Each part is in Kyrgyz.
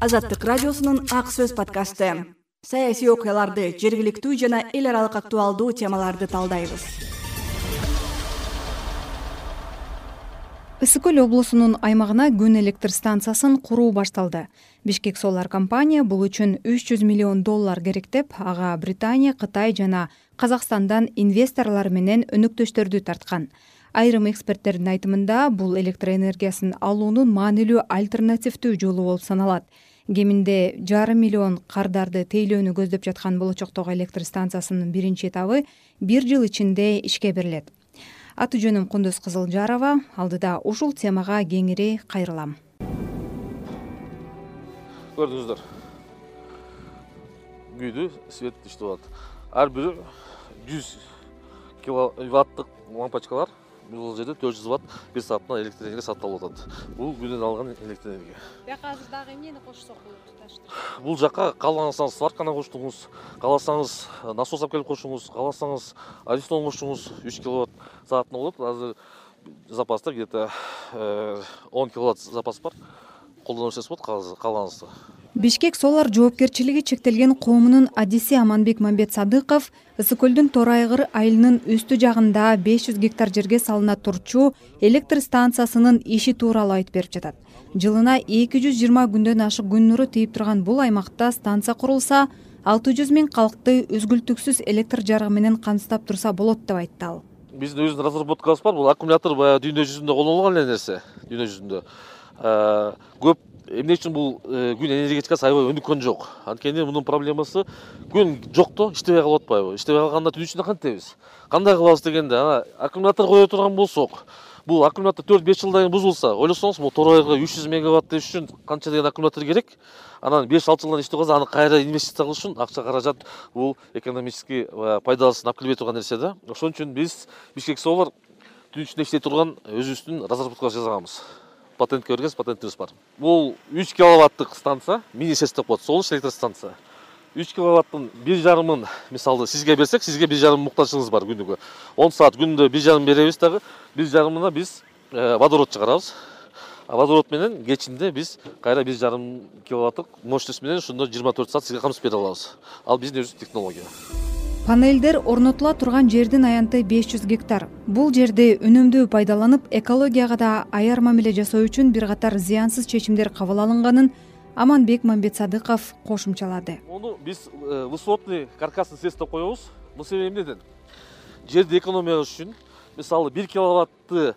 Азаттык радиосунун Ак сөз подкасты. Саясий окуяларды, жергиликтүү жана эл аралык актуалдуу темаларды талдайбыз. Ысык көл облусунун аймагына күн электр станциясын куруу башталды. Бишкек Solar компания бул үчүн $300 миллион керектеп, ага Британия, Кытай жана Казакстандан инвесторлор менен өнөктөштөрдү тарткан. Айрым эксперттердин айтымында бул электр энергиясын алуунун маанилүү альтернативдүү жолу болуп саналат. Кеминде 1,5 миллион кардарды тейлөөнү көздөп жаткан болочоктогу электр станциясынын биринчи этабы 1 жыл ичинде ишке берилет. Аты жөнүм Кундуз Кызылжарова. Алдыда ушул темага кеңири кайрылам. Көрдүңүздөр. Күйдү свет иштеп атат. Ар бири 100 киловаттык лампочкалар. Бул жерде 400 ватт 1 саатына электр энергия сатып алып атат. Бул күндөн алган электр энергия. Бияка азыр дагы эмнени кошсок болот туташтыр? Бул жакка кааласаңыз сварканы коштуңуз, кааласаңыз насос алып келип коштуңуз, кааласаңыз аристон коштуңуз 3 киловатт саатына болот. Азыр запаста где-то 10 киловатт запас бар. Колдоно берсеңиз болот каалаңызды. Бишкек Solar жоопкерчилиги чектелген коомунун адиси Аманбек Мамбетсадыков Ысык көлдүн Торайгыр айылынын үстү жагында 500 гектар жерге салына турчу электр станциясынын иши тууралуу айтып берип жатат. Жылына 220 күндөн ашык күн нуру тийип турган бул аймакта станция курулса, 600 000 калкты үзгүлтүксүз электр жарыгы менен камсыздап турса болот деп айтты ал. Биздин өзүбүздүн разработкабыз бар. Бул аккумулятор баягы дүйнө жүзүндө колдонулган эле нерсе. Дүйнө жүзүндө көп эмне үчүн бул күн энергетикасы аябай өнүккөн жок. Анткени мунун проблемасы күн жокто иштебей калып атпайбы? Иштебей калганда түн ичинде кантебиз? Кандай кылабыз дегенде, аккумулятор кое турган болсок, бул аккумулятор 4-5 жылдан кийин бузулса, ойлосоңуз, бул Торайгырга 300 мегаватт үчүн канча деген аккумулятор керек? Анан 5-6 жылдан иштеп калса, аны кайра инвестиция кылыш үчүн акча каражат бул экономический пайдасын алып келбей турган нерсе да. Ошон үчүн биз Бишкек Solar түн ичинде иштей турган өзүбүздүн разработкабызды жасаганбыз. Патентке бергенбиз, патентибиз бар. Бул 3 киловаттык станция, мини-СЭС деп коет, солуш электр станция. 3 киловаттын 1,5-ын мисалы сизге берсек, сизге 1,5 муктажыңыз бар күнүгө. 10 саат күндө 1,5 беребиз дагы, 1,5-ына биз водород чыгарабыз. Водород менен кечинде биз кайра 1,5 киловаттык мощность менен ошондо 24 саат сизге камсыз бере алабыз. Ал биздин өзүбүздүн технология. Панелдер орнотула турган жердин аянты 500 гектар. Бул жерди үнөмдүү пайдаланып, экологияга да аяр мамиле жасоо үчүн бир катар зыянсыз чечимдер кабыл алынганын Аманбек Мамбетсадыков кошумчалады. Муну биз высотный каркасный СЭС деп коебуз. Бул себеби эмнеден? Жерди экономия кылыш үчүн, мисалы 1 киловатты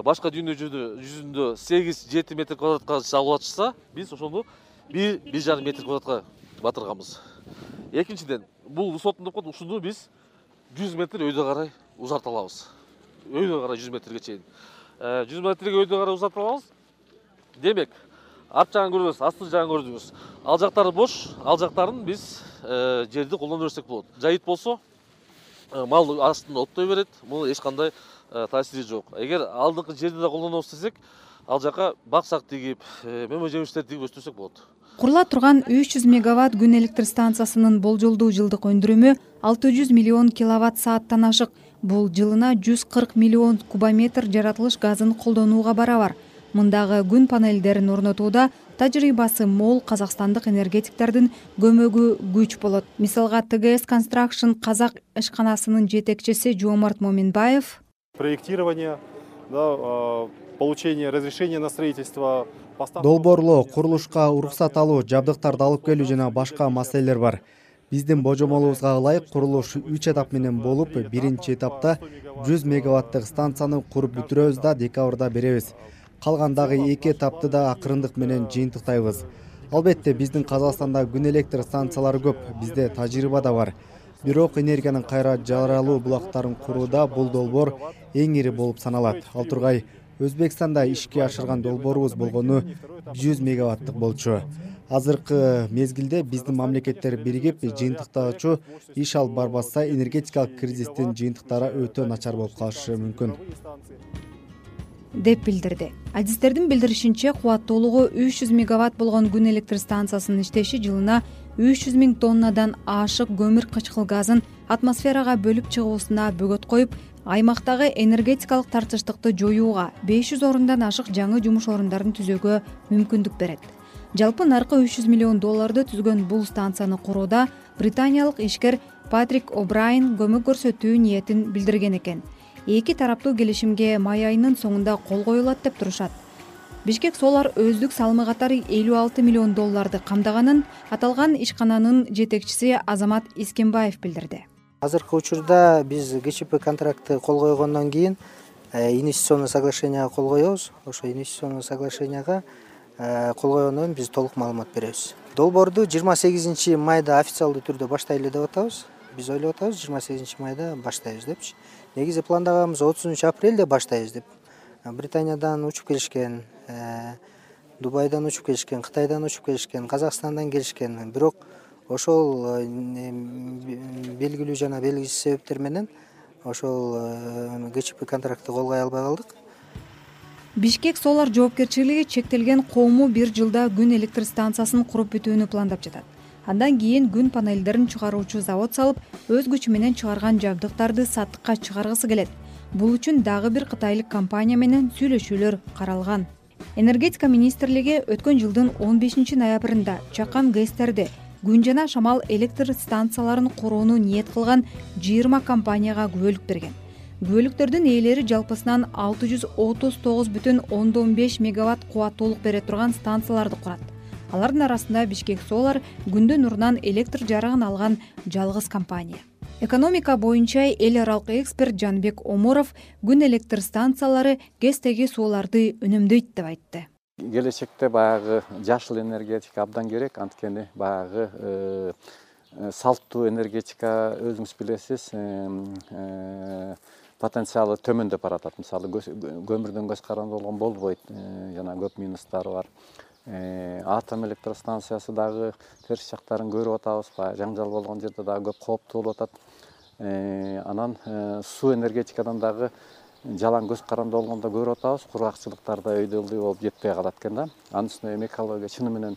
башка дүйнө жүзүндө 8-7 метр квадратка салып атышса, биз ошону 1,5 метр квадратка батырганбыз. Экинчиден, бул высотный деп коет, ушуну биз 100 метр өйдө карай узарта алабыз. Өйдө карай 100 метрге чейин. 100 метрге өйдө карай узарта алабыз. Демек, арт жагын көрбөс, асты жагын көрдүңүз. Ал жактары бош, ал жактарын биз жерди колдоно берсек болот. Жайыт болсо, мал астында оттой берет, муну эч кандай таасири жок. Эгер алдыңкы жерди да колдонобуз десек, ал жака бак-сак тигип, мөмө жемиштерди тигип өстүрсөк болот. Курула турган 300 мегаватт күн электр станциясынын болжолдуу жылдык өндүрүмү 600 миллион киловатт сааттан ашык. Бул жылына 140 миллион кубометр жаратылыш газын колдонууга барабар. Мындагы күн панелдерин орнотууда тажрыйбасы мол казакстандык энергетиктердин көмөгү күч болот. Мисалга ТГС Construction Казак ишканасынын жетекчиси Жомарт Моминбаев: проектирование, получение разрешения на строительство, долбоорлоо, курулушка уруксат алуу, жабдыктарды алып келүү жана башка маселелер бар. Биздин божомолубузга ылайык курулуш 3 этап менен болуп, биринчи этапта 100 мегаваттык станцияны куруп бүтүрөбүз да декабрда беребиз. Калгандагы 2 этапты да акырындык менен жыйынтыктайбыз. Албетте биздин Казакстанда күн электр станциялары көп, бизде тажрыйба да бар. Бирок энергиянын кайра жаралуу булактарын курууда бул долбоор эң ири болуп саналат. Ал тургай Өзбекстанда ишке ашырган долбоорубуз болгону 100 мегаваттык болчу. Азыркы мезгилде биздин мамлекеттер биригип жыйынтыктагычу иш алып барбаса, энергетикалык кризистин жыйынтыктары өтө начар болуп калышы мүмкүн деп билдирди. Адистердин билдиришинче, кубаттуулугу 300 мегаватт болгон күн электр станциясынын иштеши жылына 300 000 тоннадан ашык көмүр кычкыл газын атмосферага бөлүп чыгуусуна бөгөт коюп, аймактагы энергетикалык тартыштыкты жоюуга 500 орундан ашык жаңы жумуш орундарын түзүүгө мүмкүндүк берет. Жалпы наркы $300 миллион түзгөн бул станцияны курууда британиялык ишкер Патрик О'Брайен көмөк көрсөтүү ниетин билдирген экен. Эки тараптуу келишимге май айынын соңунда кол коюлат деп турушат. Бишкек Solar өздүк салымы катары $56 миллион камдаганын аталган ишкананын жетекчиси Азамат Искенбаев билдирди. Азыркы учурда биз ГЧП контрактты кол койгондон кийин инвестиционный соглашенияга кол коебуз. Ошо инвестиционный соглашенияга кол койгондон кийин биз толук маалымат беребиз. Долбоорду 28 майда официалдуу түрдө баштайлы деп атабыз. Биз ойлоп атабыз 28 майда баштайбыз депчи. Негизи пландаганыбыз 30 апрелде баштайбыз деп. Британиядан учуп келишкен, Дубайдан учуп келишкен, Кытайдан учуп келишкен, Казакстандан келишкен. Бирок ошол белгилүү жана белгисиз себептер менен ошол ГЧП контрактты колгой албай калдык. Бишкек Solar жоопкерчилиги чектелген коому бир жылда күн электр станциясын куруп бүтүүнү пландап жатат. Андан кийин күн панелдерин чыгаруучу завод салып, өз күчү менен чыгарган жабдыктарды саттыкка чыгаргысы келет. Бул үчүн дагы бир кытайлык компания менен сүйлөшүүлөр каралган. Энергетика министрлиги өткөн жылдын 15 ноябрында чакан ГЭСтерди күн жана шамал электр станцияларын курууну ниет кылган 20 компанияга күбөлүк берген. Күбөлүктөрдүн ээлери жалпысынан 639,5 мегаватт кубаттуулук бере турган станцияларды курат. Алардын арасында Бишкек Solar күндүн нурунан электр жарыгын алган жалгыз компания. Экономика боюнча эл аралык эксперт Жанбек Оморов күн электр станциялары ГЭСтеги сууларды үнөмдөйт деп айтты. Келечекте баягы жашыл энергетика абдан керек, анткени баягы салттуу энергетика өзүңүз билесиз, потенциалы төмөндөп баратат. Мисалы көмүрдөн көз каранды болгон болбойт, жана көп минустары бар. Атом электростанциясы дагы терс жактарын көрүп атабыз, жаңжал болгон жерде дагы көп кооптуу болуп атат. Анан суу энергетикадан дагы жалаң көз каранды болгондо көрүп атабыз, кургакчылыктарда өйдө ылдый болуп жетпей калат экен да. Анын үстүнө эми экология чыны менен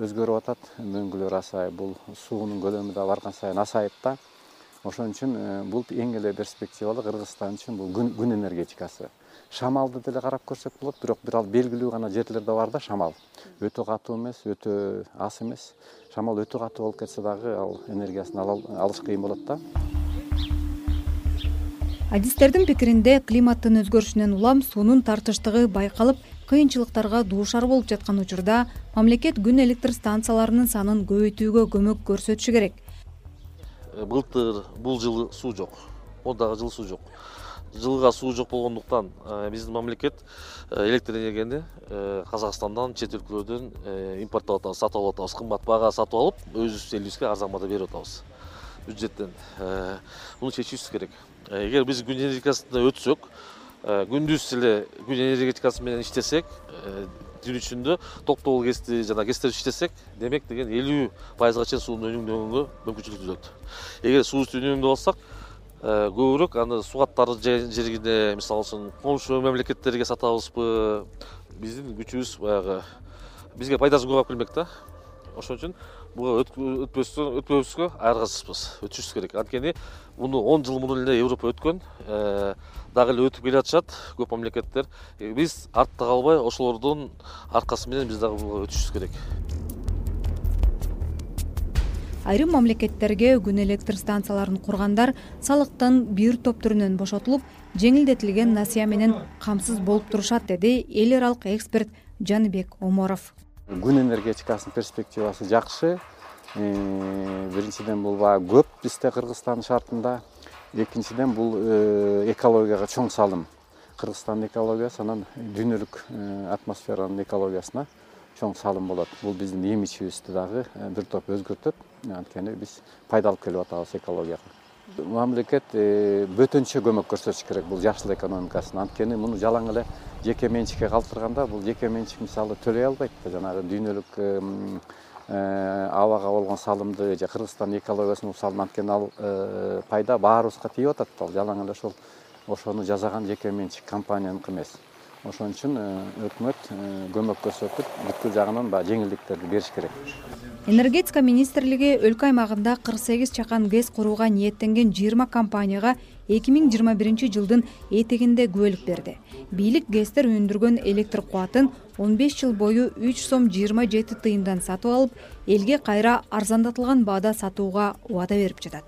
өзгөрүп атат, мөңгүлөр асайып, бул суунун көлөмү да барган сайын асайып да. Ошон үчүн бул эң эле перспективалуу Кыргызстан үчүн бул күн энергетикасы. Шамалды деле карап көрсөк болот, бирок бир ал белгилүү гана жерлерде бар да шамал. Өтө катуу эмес, өтө аз эмес. Шамал өтө катуу болуп кетсе дагы ал энергиясын алыш кыйын болот да. Адистердин пикиринде климаттын өзгөрүшүнөн улам суунун тартыштыгы байкалып, кыйынчылыктарга дуушар болуп жаткан учурда мамлекет күн электр станцияларынын санын көбөйтүүгө көмөк көрсөтүшү керек. Былтыр бул жылы суу жок. Ондагы жылы суу жок. Жылга суу жок болгондуктан биздин мамлекет электр энергияны Казакстандан, чет өлкөлөрдөн импорттоп атабыз, сатып алып атабыз. Кымбат баага сатып алып, өзүбүз элибизге арзан баада берип атабыз. Бюджеттен. Муну чечүүбүз керек. Эгер биз күн энергетикасына өтсөк, күндүз эле күн энергетикасы менен иштесек, түн ичинде токтогул ГЭСти жана ГЭСтерди иштесек, демек деген 50% чейин сууну үнөмдөгөнгө мүмкүнчүлүк түзөт. Эгер суубузду үнөмдөп алсак, көбүрөөк аны сугаттар жергине, мисалы үчүн комшу мамлекеттерге сатабызбы, биздин күчүбүз баягы бизге пайдасын көп алып келмек да. Ошон үчүн буга өтпөбүзгө айыргасызбыз, өтүшүбүз керек. Анткени муну 10 жыл мурун эле Европа өткөн, дагы эле өтүп келе жатышат көп мамлекеттер. Биз артта калбай, ошолордун аркасы менен биз дагы буга өтүшүбүз керек. Айрым мамлекеттерге күн электр станцияларын кургандар салыктын бир топ түрүнөн бошотулуп, жеңилдетилген насыя менен камсыз болуп турушат, деди эл аралык эксперт Жанбек Оморов. Күн энергетикасынын перспективасы жакшы. Биринчиден бул көп бизде Кыргызстан шартында, экинчиден бул экологияга чоң салым. Кыргызстандын экологиясы анан дүйнөлүк атмосферанын экологиясына чоң салым болот. Бул биздин имиджибизди дагы бир топ өзгөртөт. Анткени биз пайда алып келип атабыз экологияга. Мамлекет бөтөнчө көмөк көрсөтүш керек бул жашыл экономикасын. Анткени муну жалаң эле жеке менчикке калтырганда бул жеке менчик мисалы төлөй албайт. Жанагы дүйнөлүк абага болгон салымды же Кыргызстандын экологиясына салым, анткени ал пайда баарыбызга тийип атат. Ал жалаң эле ошону жасаган жеке менчик компанияныкы эмес. Ошон үчүн өкмөт көмөк көрсөтүп, бүткүл жагынан жеңилдиктерди бериш керек. Энергетика министрлиги өлкө аймагында 48 чакан ГЭС курууга ниеттенген 20 компанияга 2021 жылдын этегинде күбөлүк берди. Бийлик ГЭСтер өндүргөн электр кубатын 15 жыл бою 3 сом 27 тыйындан сатып алып, элге кайра арзандатылган баада сатууга убада берип жатат.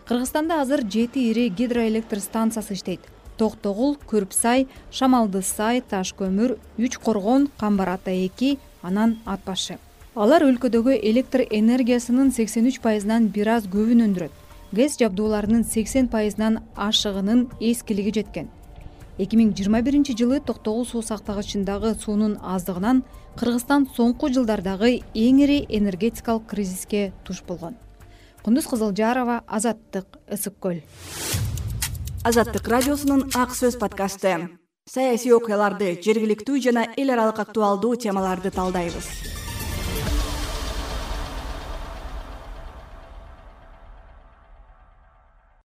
Кыргызстанда азыр 7 ири гидроэлектр станциясы иштейт. Токтогул, Көрүпсай, Шамалды Сай, Таш көмүр, 3 Коргон, Камбар Ата 2, анан Ат башы. Алар өлкөдөгү электр энергиясынын 83%нан бир аз көбүн өндүрөт. ГЭС жабдууларынын 80%нан ашыгынын эскилиги жеткен. 2021 жылы Токтогул суу сактагычындагы суунун аздыгынан Кыргызстан соңку жылдардагы эң ири энергетикалык кризиске туш болгон. Кундуз Кызылжарова, Азаттык, Ысык көл. Азаттык радиосунун Ак сөз подкасты. Саясий окуяларды, жергиликтүү жана эл аралык актуалдуу темаларды талдайбыз.